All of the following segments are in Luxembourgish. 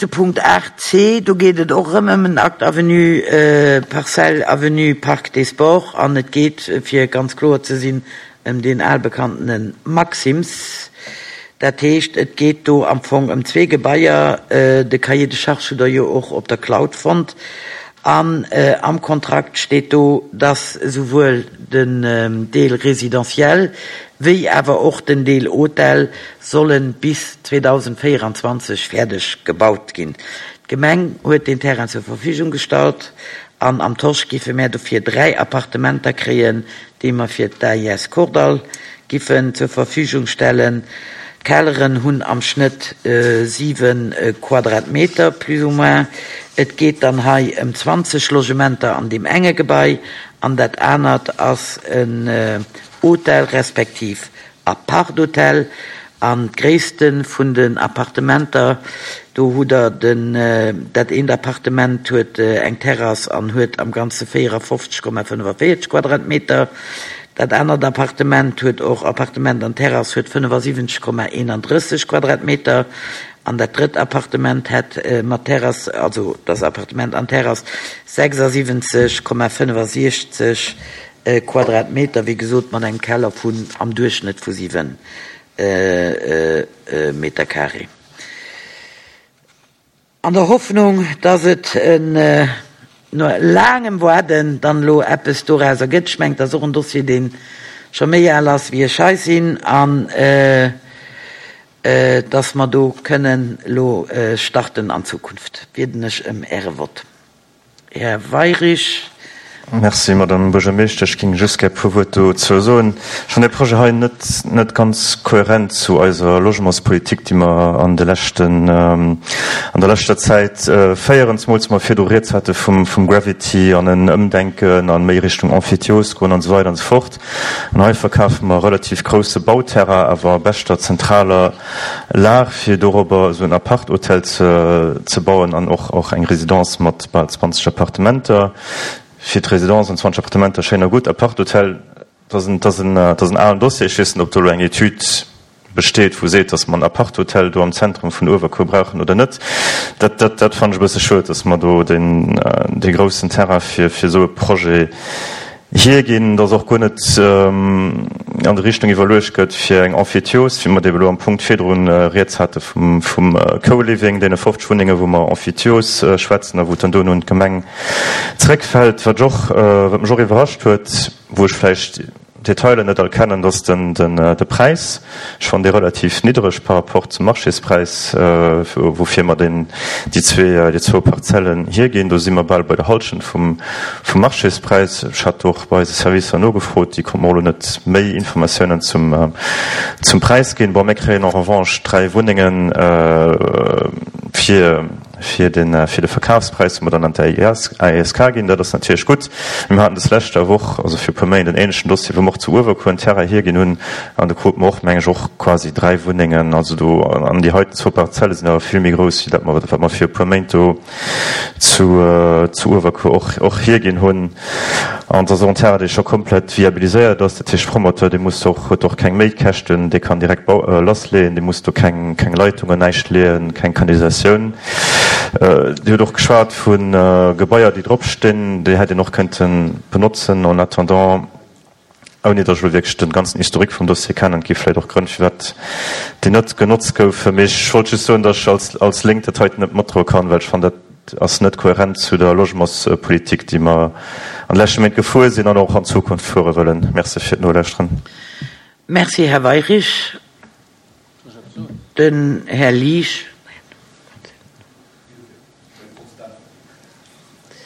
nächste Punkt 8c, do geet et och erëm ëm en Acte Avenue Parcelle Avenue Parc des Sports an et geet, fir ganz kloer ze sinn, ëm deen albekannene Maxim's. Dat heescht, et geet do am Fong ëm zwee Gebaier. De Cahier de charges hutt Der jo och op der Cloud fonnt. An am Kontrakt steet do, dass esouwuel den Deel résidentiel wéi awer och den Deel Hotel solle bis 2024 fäerdeg gebaut ginn. D'Gemeng huet deen Terrain zur Verfügung gestallt an am Tosch giffe mär dofir 3 Appartementer kréien, déi mer fir d'AIS Kordall giffen zur Verfügung stellen. D'Kelleren hunn am Schnëtt 7 Quadratmeter, plus ou moins. Et geet dann hei ëm 20 Logementer an deem enge Gebai an dat anert ass en Hotel respektiv Aparthotel. An d'Gréisste vun den Appartementer, do hutt Der den, dat eent Appartement huet eng Terrass an huet am Ganze 54,45 Quadratmeter. Dat anert Appartement huet och Appartement an Terrass, huet 75,31 Quadratmeter. An dat drëtt Appartement hätt mat Terrass, also dat ass Appartement an Terrass, 76,65 Quadratmeter, wéi gesot mat engem Keller vun am Duerchschnëtt vu 7 Meter carré. An der Hoffnung, dass et no laangem Waarden dann elo eppes dorauser gëtt. Ech mengen, et ass och en Dossier, dee scho méi al ass wéi ech hei sinn, an dass mer do kënnen elo starten an Zukunft, bieden ech ëm Äre Vott. Här Weirich. Merci, Madame Buergermeeschtesch. Ech géing just gär e puer Wuert dozou soen. Ech fannen dee Projet hei net, net ganz kohärent zu eiser Logementspolitik, déi mer an de leschten, an der leschter Zäit féieren, zemools mer virdu rieds hate vum, vum Gravity an en Ëmdenken a méi Richtung Emphytiose goen an esou weider an esou fort. An hei verkafe mer e relativ grousse Bauterrain, awer a beschter zentraler Lag, fir dorobber esou en Apart-Hotel ze bauen an och och eng Résidence mat bal 20 Appartementer. Fir d'Résidence an 20 Appartementer schéin a gutt. Apart-Hotel, dat ass en, dat ass en, dat ass en alen Dossier. Ech weess net, ob do elo eng Etüd besteet, wou seet, datt mer en Apart-Hotel do am Zentrum vun Uewerkuer brauchen oder net. Dat, dat, dat fannen ech e bësse schued, datt mer do deen, dee groussen Terrain fir, fir esou e Projet hierginn, dass och guer net an der Richtung iwwerluecht gëtt fir eng Emphytiose, wéi mer déi elo am Punkt virdrun rieds hate vum Co-Living, deene 50 Wunnengen, wou mer Emphytiose schwätzen a wou et dann duerno un d'Gemeng zréckfält. Wat ech och, wat mech och iwwerrascht huet, wou ech vläicht d'Detailer net all kennen, dass den de Präis, ech fannen dee relativ niddereg par rapport zum Marchéspräis, woufir mer deen, déi zwee, déi zwou Parzellen hierginn. Do si mer bal bei der Hallschent vum Vum Marchéspräis, ech hat och bei eise Servicer nogefrot, déi konnte mer och elo net méi Informatiounen zum zum Präis ginn. Bon, mir kréien en revanche 3 Wunnengen fir fir den fir de Verkafspräis, wou mer dann an d'AESK ginn. Dat ass natierlech gutt. Mee mir haten des leschter Woch, also fir e puer Méint, en ähnlechen Dossier, wou mer och zu Uewerkuer en Terrain hierginn hunn an do krute mer och, meng ech, och quasi 3 Wunnengen. Also do, an déi heiten zwou Parzelle sinn awer vill méi grouss wéi dat mer wat mer fir e puer Méint do zu zu Uewerkuer och och hierginn hunn. An et ass och en Terrain, dee scho komplett viabiliséiert ass. Dat heescht, Promoteur, dee muss och, huet och keng Méikäschten, dee kann direkt bau lassleeën, dee muss do keng keng Leitungen, näischt leeën, keng Kanalisatioun. Dir hutt och geschwat vu Gebaier, déi drop stinn, déi hätt een och kënnte benotzen en attendant. Ouni datt ech elo wierklech de ganzen Historique vum Dossier kennen. Et gi vläicht och Grënn, firwat déi net genotzt goufen. Mee ech wollt just soen, datt ech als, als Lénk dat heiten net matdroe kann, well ech fannen, dat ass net kohärent zu der Logementspolitik, déi mer an de leschte Méint gefuer sinn an och an Zukunft fuere wëllen. Merci fir d'Nolauschteren. Merci, Här Weirich. Den Här Liesch.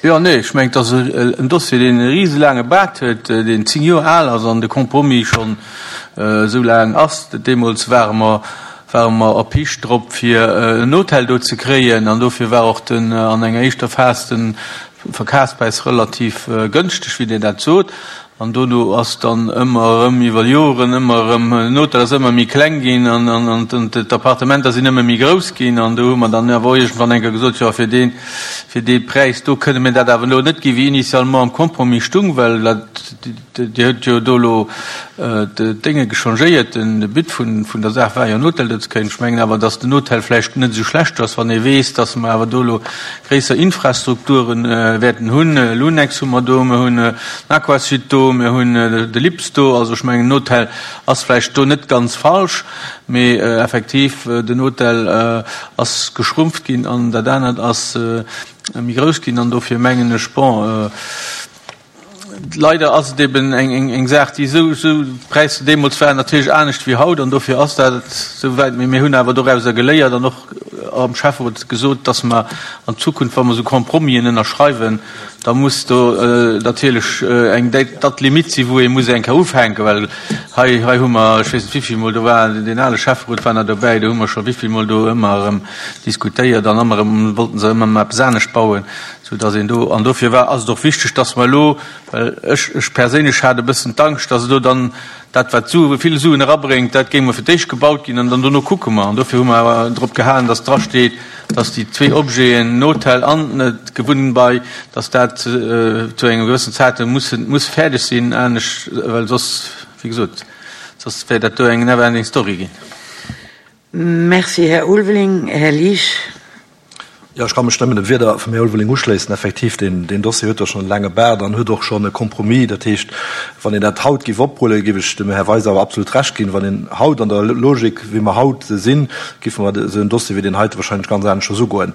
Jo, nee, ech mengen, et ass en Dossier, deen e riselaange Baart huet, deen 10 Joer al ass an de Compromis schonn esou laang ass. Deemools ware mer, ware mer erpicht drop, fir en Hotel do ze kréien an dofir war och den, an enger éischter Phas den Verkafspräis relativ gënschteg, wéi Dir dat sot. An dono ass dann ëmmer erëm iwwer Joren ëmmer erëm, den Hotel ass ëmmer méi kleng ginn an d'Appartementer sinn ëmmer méi grouss ginn. An do hu mer dann awer och iergendwann eng Kéier gesot, jo fir dee, fir dee Präis do kënne mir dat awer elo net ginn, wéi initialement am Compromis stung, well dat, Dir hutt jo do elo d'Dénge gechangéiert. De But vun der Saach war jo en Hotel do ze kréien. Ech mengen awer, datt den Hotel vläicht net esou schlecht ass, wann ee weess, datt mer awer do elo gréisser Infrastrukture wäerten hunn. Lunex hu mer do, mir hunn den Aquasud do, mir hunn de Lips do. Also ech mengen, en Hotel ass vläicht do net ganz falsch. Mee effektiv, den Hotel ass geschrumpft ginn an dat anert ass méi grouss ginn. An dofir mengen ech, bon, Leider ass et eben eng Saach, déi esou, esou, d'Präisser deemools waren natierlech anescht wéi haut an dofir ass dat esou wäit. Mee mir hunn awer dorauser geléiert an och am Schäfferot gesot, dass mer an Zukunft, wa mer esou Compromisen ënnerschreiwen, da muss do natierlech eng Date limite sinn, wou ee muss eng Kéier ufänken. Well hei, hei hu mer, ech weess net wéi vill Mol, do war deen ale Schäfferot war nach dobäi, do hu mer scho wéi vill Mol do ëmmer erëm diskutéiert an ëmmer erëm wollten se ëmmer eppes anescht bauen. Sou dass een do, an dofir war, ass et och wichteg, dass mer elo, well ech, ech perséinlech hat e bëssen d'Angscht, dass elo dann dat, wat Sue, vill Suen erabréngt, dat géing mol fir d'éischt gebaut ginn an dann dono kucke mer. An dofir hu mer awer drop gehalen, dass drasteet, dass déi zwee Objeten, den Hotel an d'Gewunnbei, dass dat zu engem gewëssen Zäitpunkt mussen, muss fäerdeg sinn, anescht, well soss, wéi gesot, soss wär dat do eng never ending story ginn. Merci, Här Ulveling. Här Liesch. Jo, ech ka mech nëmmen de Wierder vum Här Ulveling uschléissen. Effektiv, deen, deen Dossier huet jo schonn e laange Baart an huet och schonn e Compromis. Dat heescht, wann een dat haut géif oprulle, géif ech dem Här Weis awer absolut Recht ginn. Wann een haut an der Logik, wéi mer haut sinn, géife mer esou en Dossier wéi deen heite wahrscheinlech ganz aneschters ugoen.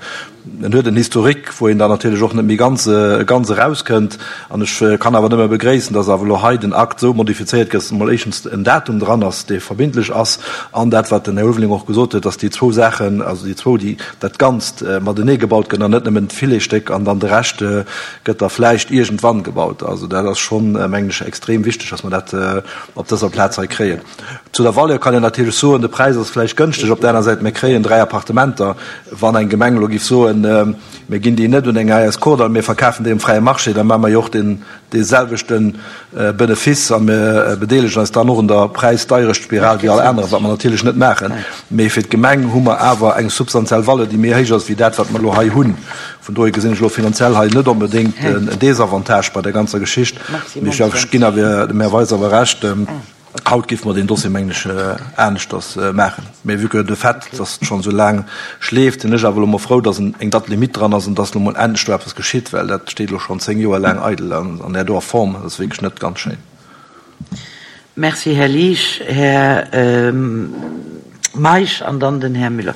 En huet en Historique, wou een dann natierlech och net méi ganz, ganz erauskënnt. An ech kann awer nëmme begréissen, dass awer elo hei den Akt esou modifizéiert gëtt, dass emol éischtens en Datum dran ass, dee verbindlech ass, an dat, wat den Här Ulveling och gesot huet, dass déi zwou Saachen, also déi zwou, déi, dat Ganzt matenee gebaut gëtt an net nëmmen d'Filetsstéck an dann de Rescht gëtt da vläicht iergendwann gebaut. Also dat ass schonn, mengen ech, extrem wichteg, dass mer dat op dëser Plaz hei kréien. Zu der Valeur kann een natierlech soen, de Präis ass vläicht gënschteg. Op der aner Säit, mir kréien 3 Appartementer. Wann eng Gemeng elo géif soen, mir ginn déi net un eng AS Kordall, mir verkafen déi um fräie Marché, da maache mer jo och deen deeselwechte Benefice a mir bedeelegen eis dann och un der Präisdeierechtspiral wéi all anerer, wat mer natierlech net maachen. Mee fir d'Gemeng hu mer awer eng substantiell Valeur, déi méi héich ass wéi dat, wat mer elo hei hunn. Vun dohier gesinn ech elo finanziell hei net onbedéngt en Désavantage bei der ganzer Geschicht. Mee ech ginn awer dem Här Weis awer Recht. Haut géife mer deen Dossier, mengen ech, aneschters maachen. Mä vue que de fait, dass et schonn esou laang schleeft, sinn ech awer elo mol frou, dass eng Date limite dran ass an dass elo mol endlech do eppes geschitt, well dat steet elo schonn 10 Joer laang eidel an an där doer Form. Dat ass wierklech net ganz schéin. Merci, Här Liesch. Här Meisch an dann den Här Müller.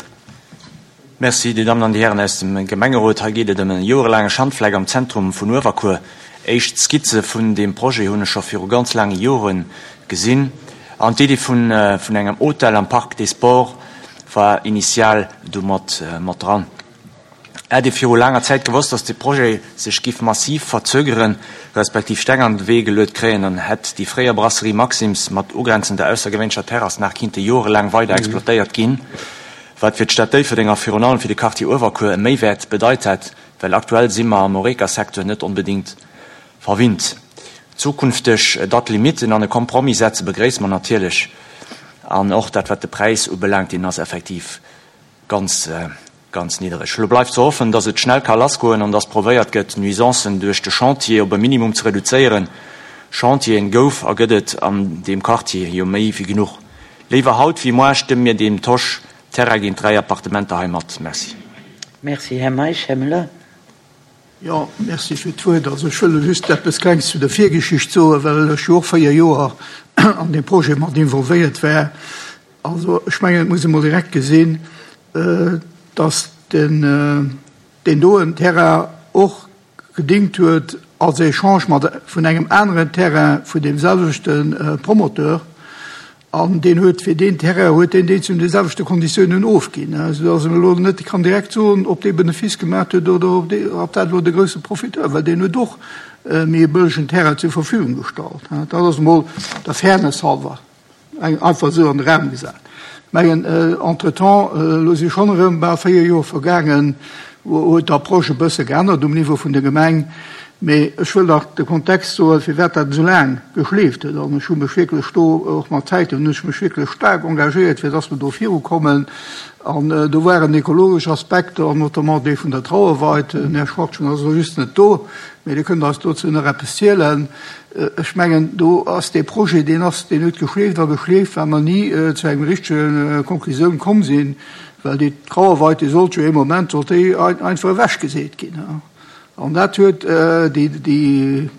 Merci, Dir Dammen an Dir Hären aus dem Gemengerot. Hei geet et ëm e joerelaange Schandfleck am Zentrum vun Uewerkuer. Éischt Skizze vun deem Projet hunn ech scho viru ganz laange Jore gesinn. An d'Iddi vun engem Hotel am Parc des Sports war initial do mat dran. Hätt ee viru laanger Zäit gewosst, datt de Projet sech giff massiv verzögeren, respektiv Steng an de Wee geluet kréien, dann hätt déi fréier Brasserie Maxim's mat ugrenzender aussergewéinlecher Terrass nach kinnte jorelaang weider exploitéiert ginn. Wat fir d'Stad Déifferdeng a virun allem fir de Quartier Uewerkuer e Méiwäert bedeit hätt, well aktuell si mer am Horeca-Secteur net onbedéngt verwinnt. Zukünfteg Date-limiten an e Compromis setze begréisse mer natierlech. An och dat, wat de Präis ubelaangt, deen ass effektiv ganz, ganz niddereg. Elo bleift ze hoffen, dass et schnell ka lassgoen an dass provéiert gëtt, d'Nuisancen duerch de Chantier op e Minimum ze reduzéieren. Chantieren gouf a gëtt et an deem Quartier jo méi wéi genuch. Léiwer haut wéi moar stëmme mir deem Tosch Terrain géint 3 Appartementer hei mat. Merci. Merci, Här Meisch. Här Müller. Jo, merci fir d'Wuert. Also ech wëll just eppes Klengs zu der Virgeschicht soen, well ech jo och 4 Joer an deem Projet mat involvéiert war. Also ech mengen, et muss ee mol direkt gesinn, dass den, deen doen Terrain och gedingt huet als Echange mat vun engem aneren Terrain vun deem selwechte Promoteur, an deen huet fir deen Terrain huet deen deen zu de selwechte Konditiounen ofginn, esou datt een elo net kann direkt soen, ob dee Benefice gemaat huet oder ob dee, ob dat elo de grousse Profiteur, well deen huet och méi e bëllegen Terrain zur Verfügung gestallt. Dat ass emol der Fairness halber. Eng einfach esou an de Raum gesat. Mengen, entretemps, elo si schonn erëm bal 4 Joer vergaangen, huet d'Approche e bësse geännert um Niveau vun der Gemeng. Mee ech wëll nach de Kontext soen, firwat dat esou laang geschleeft huet. An ech hu mech wierklech do, och mat Zäiten hunn ech mech wierklech staark engagéiert, fir dass mer do virukommen. An do waren ekologesch Aspekter, an notamment dee vun der Trauerweid. Den Här Schwachtgen ass elo just net do, mee dee kënnt eis dozou nach eppes zielen. Ech mengen, do ass dee Projet, deen ass, deen huet geschleeft a geschleeft, well mer ni zu engem richtege Konklusioun komm sinn, well déi Trauerweid, déi sollt jo ee Moment, sollt déi einfach ewechgeseet ginn. An dat huet déi, déi,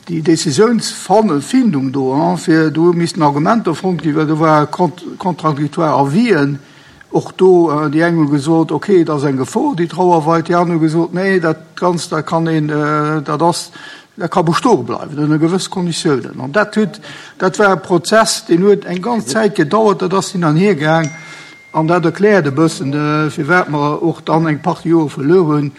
déi Décisiounsfindung do, fir do missten Argumenter fonnt ginn, well do ware contradictoire Avisen och do. Déi eng hu gesot, okay, et ass eng Gefor, déi Trauerweid, déi aner hu gesot, nee, dat Ganzt, dat kann een, dat ass, dat ka bestoe bleiwen ënner gewësse Konditiounen. An dat huet, dat war e Prozess, deen huet eng ganz Zäit gedauert, dat ass hin an hier gaang. An dat erkläert e bëssen, firwat mer och dann eng Partie Jore verluer hunn.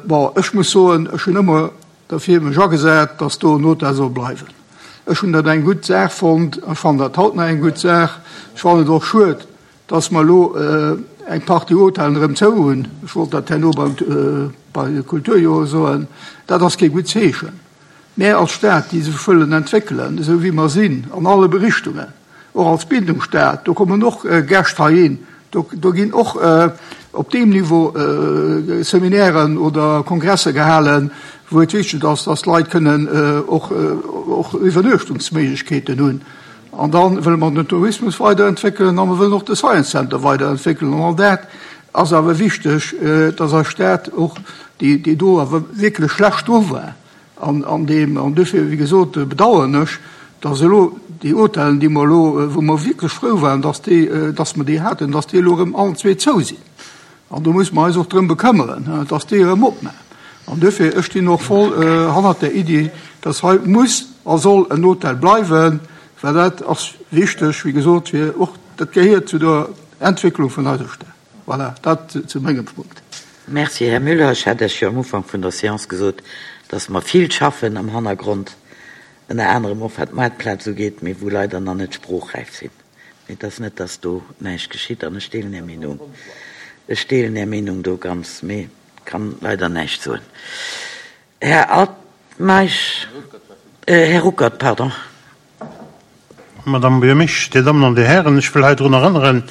Bon, ech muss soen, ech hunn ëmmer derfir mech agesat, dass do en Hotel soll bleiwen. Ech hunn dat eng gutt Saach fonnt. Ech fannen dat haut nach eng gutt Saach. Ech fannen et och schued, dass mer elo eng Partie Hotellen erëm zou hunn. Ech wollt dat herno beim, bei de Kulturjore soen. Dat ass kee gutt Zeechen. Mär als Stad, déi sech wëllen entwéckelen, esou wéi mer sinn, an alle Berichtungen, och als Bildungsstad, do kommen och Gäscht heihin, do ginn och op deem Niveau Seminairen oder Kongresse gehalen, wou et wichteg ass, dass d'Leit kënnen och Iwwernuechtungsméiglechkeeten hunn. An da wëlle mer den Tourismus weiderentwéckelen a mer wëllen och de Science Center weiderentwéckelen. An all dat ass awer wichteg, dass eis Stad och, déi do awer wierklech schlecht dru war an deem, an duerfir, wéi gesot, bedauern ech, dass elo déi Hotellen, déi mer elo, wou mer wierklech frou waren, dass déi, dass mer déi haten, dass déi elo erëm allen zwee zou sinn. An do muss mer eis och drëm bekëmmeren, dass déi erëm opmaachen. An duerfir, ech stinn och voll hannert där Iddi, dass hei muss a soll en Hotel bleiwen, well dat ass wichteg, wéi gesot, fir och, dat gehéiert zu der Entwécklung vun eiser Stad. Voilà, dat zu mengem Punkt. Merci, Här Müller. Ech hat Iech jo am Ufank vun der Séance gesot, dass mer vill schaffen am Hannergrond, ënner anerem och wat d'Maartplaz ugeet, mee wou leider nach net sproochräif sinn. Mee et ass net, dass do näischt geschitt an ech deelen Är Meenung. Ech deelen Är Meenung do ganz, mee kann leider näischt soen. Här Altmeisch, Här Ruckert, pardon. Madame Buergermeeschtesch, Dir Dammen an Dir Hären, ech wëll hei drun erënneren,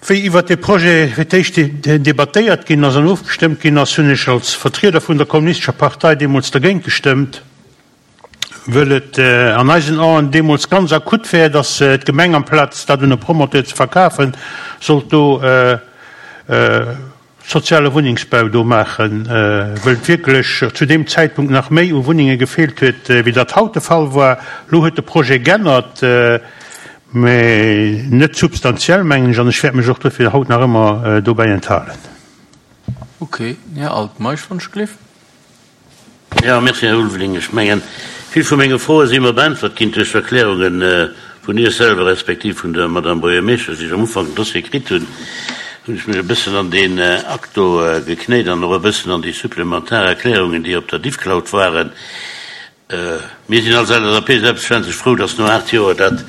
wéi iwwert dee Projet fir d'éischt debattéiert ginn ass an ofgestëmmt ginn ass, hunn ech als Vertrieder vun der Kommunistescher Partei deemools dergéint gestëmmt, wëll et an eisen Aen deemools ganz akut wär, datt d'Gemeng amplaz dat un e Promoteur ze verkafen, sollt do soziale Wunnengsbau do maachen, wëll et wierklech zu deem Zäitpunkt nach méi u Wunnenge gefeelt huet, wéi dat haut de Fall war. Elo huet de Projet g'ännert, mä net substantiell, mengen ech, an ech wäert mech och dofir haut nach ëmmer dobäi enthalen. Ok, Här Altmeisch, wann ech gleef. Jo, merci, Här Ulveling. Ech mengen, vill vu menge Froe si mer beäntwert ginn duerch d'Erklärunge vun Iech selwer respektiv vun der Madame Buergermeeschtesch. Wéi ech am Ufank den Dossier kritt hunn, hunn ech mech e bëssen an deen Akt do geknéit an och e bëssen an déi supplementar Erklärungen, déi op der Diffcloud waren. Mir sinn als LSAP selbstverständlech frou, dass no 8 Joer dat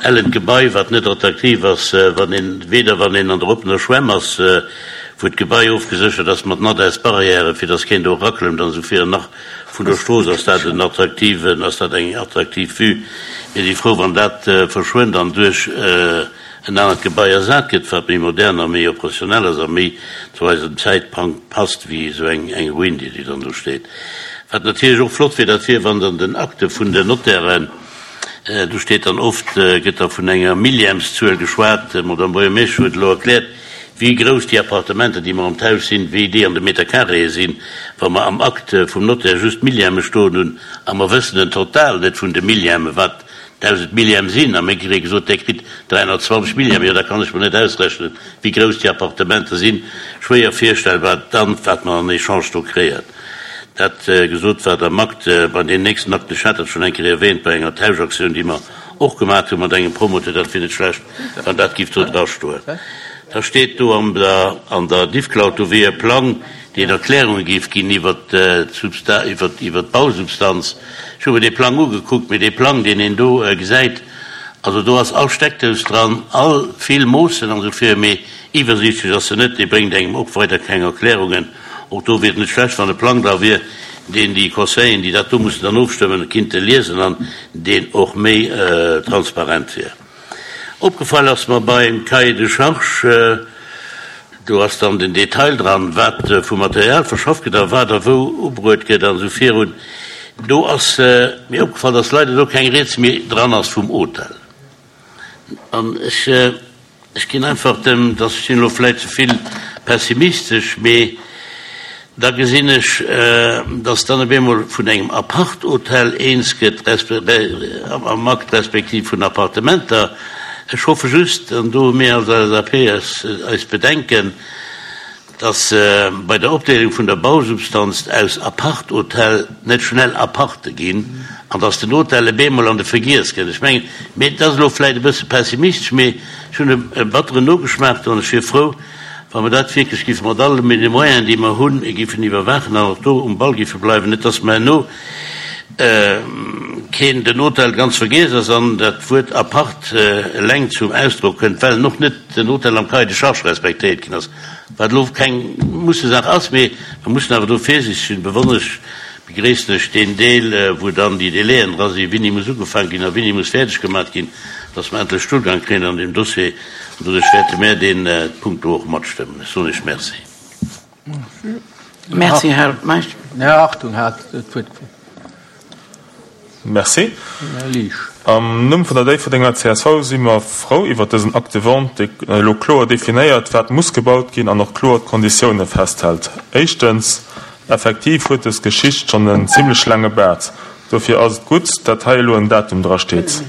ellent Gebai, wat net attraktiv ass, wann een, weder wann een an der oppener Schwämm ass, wou d'Gebai ofgeséchert ass mat Nadaisbarrièren, fir dass keen do eraklëmmt an esou virun, nach vun der Strooss ass dat en attraktiven, ass dat eng attraktiv Vue. Mir si frou, wann dat verschwënnt an duerch en anert Gebai ersat gëtt, wat méi modern a méi operationell ass a méi zu eisem Zäitplang passt wéi esou eng Ruin, déi dann do steet. Wat natierlech och flott wier, dat wier, wann dann den Akte vun den Notairen, do steet dann oft, gëtt da vun enger Millièmeszuel geschwat, d'Madame Buergermeeschtesch huet elo erkläert, wéi grouss déi Appartementer, déi mer am Tausch sinn, wéi déi an de Meterkareeë sinn, wa mer am Akt vum Notaire just Millième stoen hunn a mer wëssen den Total net vun de Millièmen, wat 1.000 Millième sinn, a mir kréie gesot, Där kritt 320 Millième, jo da kann ech mer net ausrechnen, wéi grouss déi Appartementer sinn. Schwéier virstellbar dann, wat mer an Echange do kréien. Dat gesot, wat am Akt, bei deem nächsten Akt, ech hat dat schonn eng Kéier erwähnt, bei enger Tauschaktioun, déi mer och gemaat hu mat engem Promoteur, dat wier net schlecht, wann dat giff do drastoen. Da steet do an der, an der Diffcloud, do wier e Plang, deen Erklärunge géif ginn iwwert d'Substa, iwwert, iwwert d'Bausubstanz. Ech hu mer dee Plang ugekuckt, mee dee Plang, deen een do gesäit, also do ass all Steckdous dran, all vill Moossen an esou vir, mee iwwersiichtlech ass se net. Dee bréngt engem och weider keng Erklärungen. Och do wier et net schlecht, wann e Plang dra wier, deen déi Conseilleren, déi dat do mussen dann ofstëmmen, kinnte liesen an deen och méi transparent wier. Opgefall ass mer beim Cahier de charges, do ass dann den Detail dran, wat vu Material verschafft gëtt a wat a wou ubruet gëtt an esou virun. Do ass mir opgefall, dass leider do keng Rieds méi dran ass vum Hotel. An ech, ech ginn einfach dem, dass ech sinn elo vläicht ze vill pessimistesch, mee da gesinn ech, dass dann op eemol vun engem Apart-Hotel eens gëtt am Akt respektiv vun Appartementer. Ech hoffe just, an do hu mir als LSAP eis Bedenken, dass bei der Opdeelung vun der Bausubstanz aus Apart-Hotel net schnell Aparte ginn an dass den Hotel e beemol an de Vergiess kënnt. Ech mengen, mee dat ass elo vläicht e bësse pessimistesch, mee ech hunn e batteren Nogeschmaach do an ech wier frou, wa mer dat wierklech géife mat alle Moyenen, déi mer hunn, géifen iwwerwaachen an och do um Ball géife bleiwen, net dass mer herno keen den Hotel ganz vergiess ass an dat Wuert Apart eleng zum Ausdrock kënnt, well en och net den Hotel am Cahier de charges respektéiert ginn ass. Wat elo keng Mussesaach ass, mee mer mussen awer do virsiichteg sinn. Besonnesch begréissen ech deen Deel, wou dann déi Délaiën dra sinn, wéini muss ugefaangen ginn a wéini muss fäerdeg gemaach ginn, dass mer endlech Stullgang kréien an deem Dossier. An doduerch wäerte mär deen Punkt do och matstëmmen. Ech soen Iech Merci. Merci, Här Meisch. Här Hartung hat d'Wuert gefrot. Merci. Am Numm vun der Déifferdenger csv si mer frou iwwert dësen Acte de vente, dee elo kloer definéiert, wat muss gebaut ginn an och kloer d'Konditioune festhält. Éischtens, effektiv huet dës Geschicht schonn en zimlech laange Baart. Dofir ass et gutt, dat hei elo en Datum drasteet,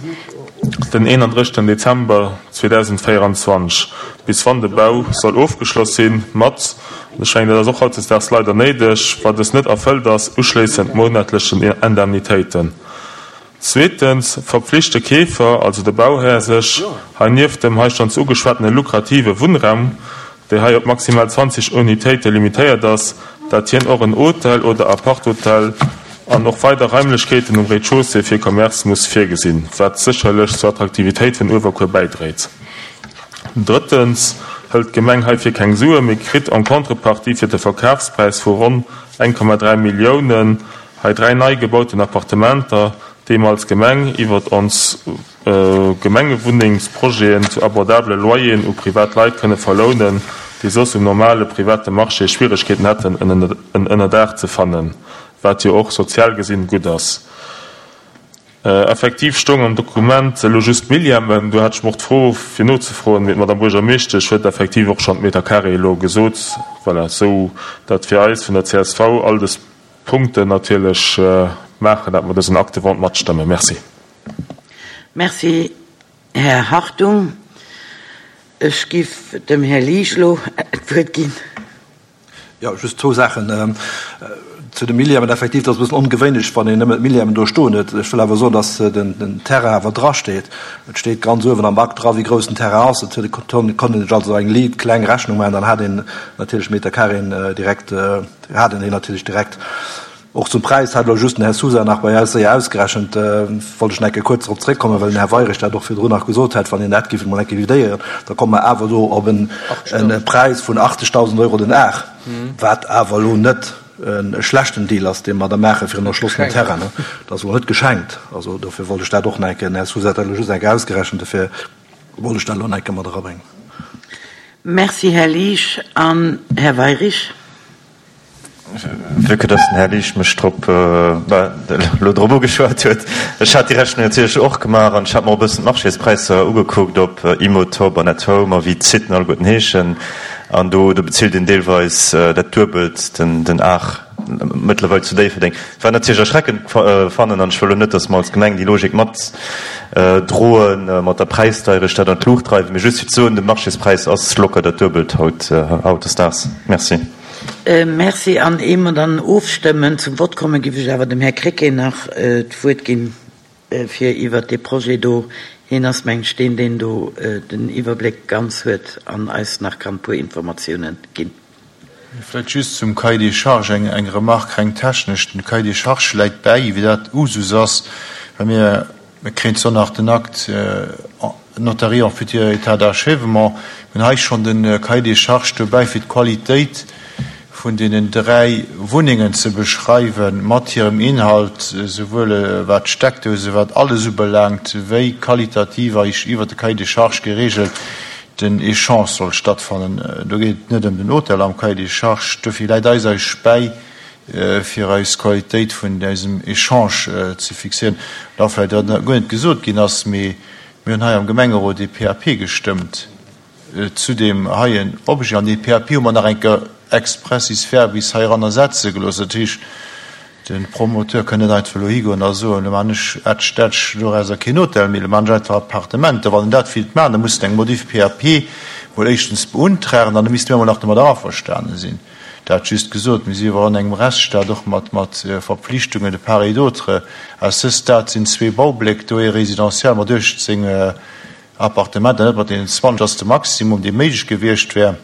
den 31 Dezember 2024, bis wann de Bau soll ofgeschloss sinn, mat, an ech mengen, dat ass och hautdesdaags leider néideg, wa dës net erfëllt ass, uschléissend monatlechen Indemnitéiten. Zweetens verpflicht de Keefer, also de Bauhär, sech hei nieft dem hei schonns ugeschwatene lukrative Wunnraum, déi hei op maximal 20 Unitéite limitéiert ass, dat hien och en Hotel oder Aparthotel an och weider Raimlechkeeten um Rez-de-chaussée fir Commerce muss virgesinn, wat sécherlech zur Attraktivitéit vun Uewerkuer bäidréit. Drëttens hëlt d'Gemeng heifir keng Sue mee kritt en contrepartie fir de Verkafspräis vu ronn 1,3 Milliounen hei 3 nei gebauten Appartementer, déi mer als Gemeng iwwert ons Gemengewunnengsprojeten zu abordabele Loyeren u privat Leit kënne verlounen, déi soss um normale private Marché Schwieregkeeten hätten en Ënnerdaach ze fannen, wat jo och sozial gesinn gutt ass. Effektiv stoung am Dokument elo just Millièmen. Do hat ech mer och d'Fro fir nozefroen, mee d'Madame Buergermeeschtesch huet effektiv och schonn d'Meter carré elo gesot. Voilà, esou datt fir eis vun der csv all dës Punkten natierlech maachen, datt mer dësen Acte de vente matstëmmen. Merci. Merci, Här Hartung. Ech giff dem Här Liesch elo d'Wuert ginn. Jo, just zwou Saachen zu de Millièmen. Effektiv, dat ass e bëssen ongewéinlech, wann een nëmmen d'Millièmen do stoen huet. Ech wëll awer soen, datt den Terrain awer drasteet. Et steet ganz uewen am Akt dra, wéi grouss den Terrain ass. Et konnt een sech also eng liit kleng Rechnung maachen, dann hat een natierlech Meterkareeën direkt, hat een déi natierlech direkt. Och zum Präis hat elo just den Här Sousa nach bei eis séier ausgerechent, wollt ech nach eng Kéier kuerz drop zréckkommen, well den Här Weirich dat och virdrun nach gesot hat, wann een dat géif emol eng Kéier vidéieren, da komme mer awer do op en Präis vun 80.000 Euro den Ar, wat awer elo net e schlechten Deal ass, dee mer da maache fir en erschlossenen Terrain. Dat ass elo net geschenkt. Also dofir wollt ech dat och nach eng Kéier, den Här Sousa hat dat elo just eng Kéier ausgerechent, dofir wollt ech dat elo nach eng Kéier mat erabréngen. Merci, Här Liesch. An Här Weirich. Vue que dass den Här Liesch mech drop, elo drop ugeschwat huet, ech hat déi Rechnung natierlech och gemaach an ech hat mer och e bëssen d'Marchéspräisser ugekuckt op Immotop an At Home a wéi d'Siten alleguerten heeschen an do do bezilt een deelweis dat Duebelt den den Ar mëttlerweil zu Déifferdeng. Wat natierlech erschreckend fannen an ech wëll elo net, dass mer als Gemeng déi Logik mat droen, mat der Präisdeierecht dat an d'Luucht dreiwen, mee just fir ze soen, de Marchéspräis ass locker dat Duebelt haut hautdesdaags. Merci. Merci. An ier mer dann ofstëmmen, zum Vott kommen, géif ech awer dem Här Krecké nach d'Wuert ginn, fir iwwert dee Projet do, hien ass, meng ech, deen, deen do den Iwwerbléck ganz huet an eis nach kann e puer Informatiounen ginn. Vläicht just zum Cahier des charges eng Remarque reng technesch. Den Cahier des charges läit bäi, wéi dat Usus ass, well mir Mir kréien zwar nach den Acte notarié en futur état d'achèvement, mir hunn hei schonn de Cahier des charges dobäi fir d'Qualitéit. vun deenen 3 Wunnengen ze beschreiwen, mat hirem Inhalt, souwuel wat d'Steckdose, wat alles ubelaangt, wéi qualitativ eis iwwert de Cahier des charges geregelt den Echange soll stattfannen. Do geet et net ëm den Hotel am Cahier des charges. Dofir läit eis eis bäi, fir eis Qualitéit vun eisem Echange ze fixéieren. Da vläicht, wat nach guer net gesot ginn ass, mee mir hunn hei am Gemengerot ee PAP gestëmmt zu deem heien Objet. An dee PAP hu mer nach eng Kéier expressis verbis heiranner setze gelooss. Dat heescht, de Promoteur kënn net einfach elo higoen a soen, elo maachen ech ätsch dätsch dorauser keen Hotel méi, elo maachen ech einfach Appartementer. Wann en dat wéilt maachen, da muss en eng Modif PAP mol éischtens beuntragen an da misste mir emol nach domadder averstane sinn. Dat just gesot, mir si jo awer an engem Rechtsstaat, och mat mat Verpflichtungen de part et d'autre. À ce stade sinn zwee Baubléck do, ee résidentiel mat 18 Appartementer, net mat deenen 20 ass de Maximum, dee méiglech gewiescht wär,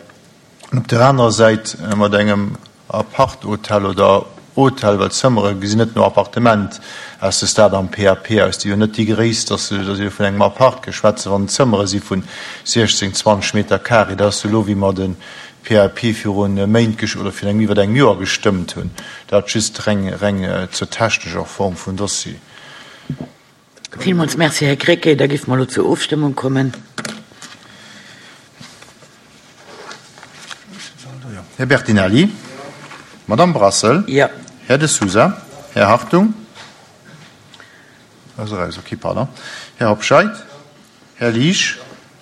an op där anerer Säit mat engem Apart-Hotel oder Hotel, well d'Zëmmere gesinn net no Appartement aus, de Stade am PAP aus, déi jo net déi Gréisst ass, dass ee vun engem Apart ke schwätzen, wann et Zëmmere si vun 16, 20 Meter carré. Dat ass elo, wéi mer de PAP viru Méint oder virun engem iwwert engem Joer gestëmmt hunn. Dat just reng reng zur technescher Form vum Dossier. Villmools Merci, Här Krecké. Da géife mer elo zur Ofstëmmung kommen. Här Bertinelli. Madamm Brassel. Jo. Här De Sousa. Här Hartung. Ass eraus, okay, pardon. Här Hobscheit. Här Liesch.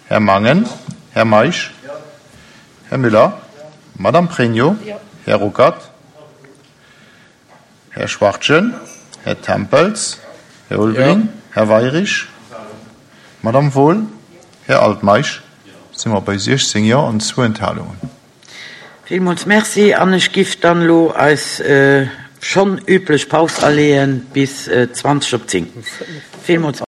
Här Mangen. Här Meisch. Här Müller. Madamm Pregno. Här Ruckert. Här Schwachtgen, Här Tempels, Här Ulveling, Här Weirich, Madamm Wohl, Här Altmeisch, si mer bei 16 Jo an zwou Enthalungen. Villmools Merci an ech giff dann elo eis schonn üblech Paus aleeën bis 20 op 10. Villmools.